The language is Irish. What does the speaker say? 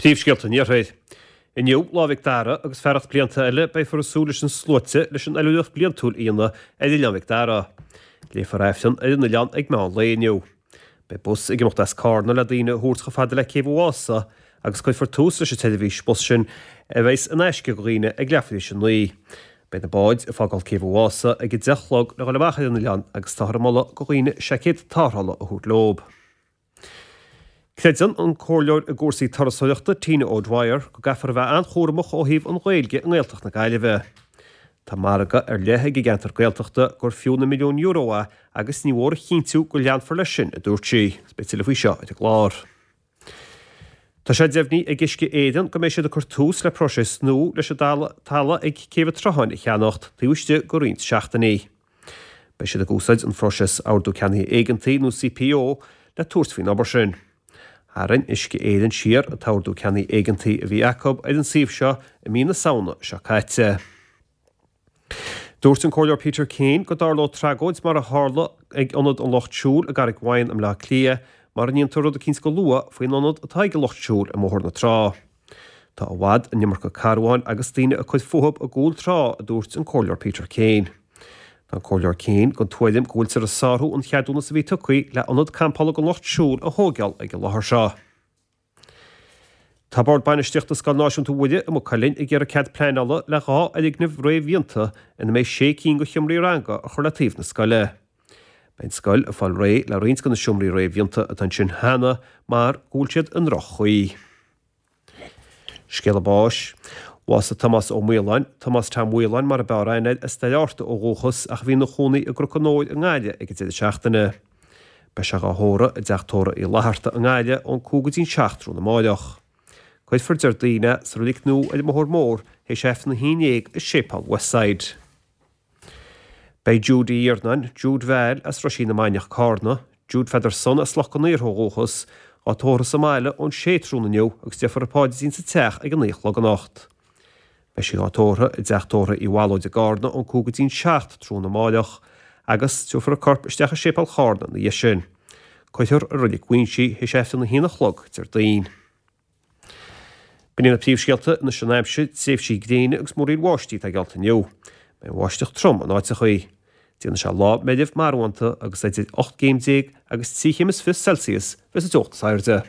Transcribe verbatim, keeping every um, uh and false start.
Príomhscéalta an Iarthair. Inniu, Lá Mhic Dara, agus fearacht blianta eile, beifear ag súil leis na sluaite leis an oilithreacht bliantúil a dhéanamh ar Oileán Mhic Dara. Léifear Aifreann ar an oileán ag meán lae inniu. Beidh bus ag imeacht as Carna le daoine a thabhairt chomh fada le Céibh an Mhása agus cuirfear tús leis an tseirbhís bus sin a bheas in aisce do dhaoine ag leathuair tar éis a naoi. Beidh na báid ag fágáil Céibh an Mhása ag a deich a chlog le dhul amach ar an oileán agus táthar ag moladh do dhaoine seaicéad tarrthála a thabhairt leo. Creideann an comhairleoir i gcúrsaí turasóireachta Tina O'Dwyer go gcaithfear a bheith an-chúramach ó thaobh an Ghaeilge i nGaeltacht na Gaillimhe. Tá margadh ar leith ag an gceantar Gaeltachta gur fiú na milliúin euro é agus ní mór a chinntiú go leanfar leis sin, a dúirt sí. Beidh tuilleadh faoi seo ar an gclár. Tá sé deimhnithe ag Uisce Éireann go mbeidh siad ag cur tús le próiseas nua leis an talamh ag Céibh an tSrutháin a cheannacht taobh istigh de roinnt seachtainí. Beidh siad ag úsáid an phróiseas Ordú Ceannaithe Éigeantaí nó C P O le tabhairt faoin obair sin. Tharraing Uisce Éireann siar an t-ordú ceannaithe éigeantaí a bhí acu ar an suíomh seo i mí na Samhna seo caite. Dúirt an Comhairleoir Peter Kane go dtarlódh tragóid mar a tharla ag Ionad an Lucht Siúil i gCarraig Mhaighin i mBleá Cliath mura ndéantar rud eicínt go luath faoin ionad atá ag an Lucht Siúil i mBóthar na Trá. Tá i bhfad an iomarca carbháin agus daoine ag cur fúthu i gCúl Trá, a dúirt an Comhairleoir Peter Kane. Tá an Comhairleoir Kane den tuairim go bhfuiltear ag sárú an cheadúnas a bhí tugtha le ionad campála don Lucht Siúil a thógáil ag an láthair seo. Tá Bord Bainistíochta Scoil Náisiúnta Mhuire i Maigh Cuilinn ag iarraidh cead pleanála le dhá fhoirgneamh réamhdhéanta ina mbeidh sé cinn de sheomraí ranga a chur le taobh na scoile. Beidh an scoil ag fáil réidh le roinnt de na seomraí réamhdhéanta atá ansin cheana mar go bhfuil siad i ndroch-chaoi. Scéala báis. Bhásaigh Tomás Ó Maoláin, Tomás Tom Mhaoláin mar a b'fhearr aithne air, as Doire Fhearta ó dhúchas ach a bhí ina chónaí i gCnoc an Óir i nGaillimh ag an deireadh seachtaine. Beidh sé dhá thórramh i dteach tórraimh Uí Fhlatharta i nGaillimh ón cúig go dtí an seacht tráthnóna amáireach. Cuirfear Déardaoin é sa reilig nua ar an mBóthar Mór théis Aifreann a haon déag i Séipéal Westside. Beidh Jude Uí Iarnáin, Jude Val as Roisín na Mainiach Carna, Jude Pheadar Son as Loch an Iartha ó dhúchas, á tórramh sa mbaile ón sé tráthnóna inniu agus déarfar an paidrín sa teach ag an naoi a chlog anocht. Beidh sí á tórramh i dteach tórraimh Uí Mhalóid i gCarna ón cúig go dtí an seacht tráthnóna amáireach agus tabharfar a corp isteach i Séipéal Charna ina dhiaidh sin. Cuirfear i Reilig Mhuinsí théis Aifreann a haon a chlog Déardaoin. B'in iad na príomhscéalta anois an aimsir, tréimhsí gréine agus múraíl bháistí atá geallta inniu. Beidh an bháisteach trom in áiteachaí. Déanfaidh sé lá meirbh marbhánta agus idir ocht gcéim déag agus trí chéim is fiche Celsius bheas an teocht is airde.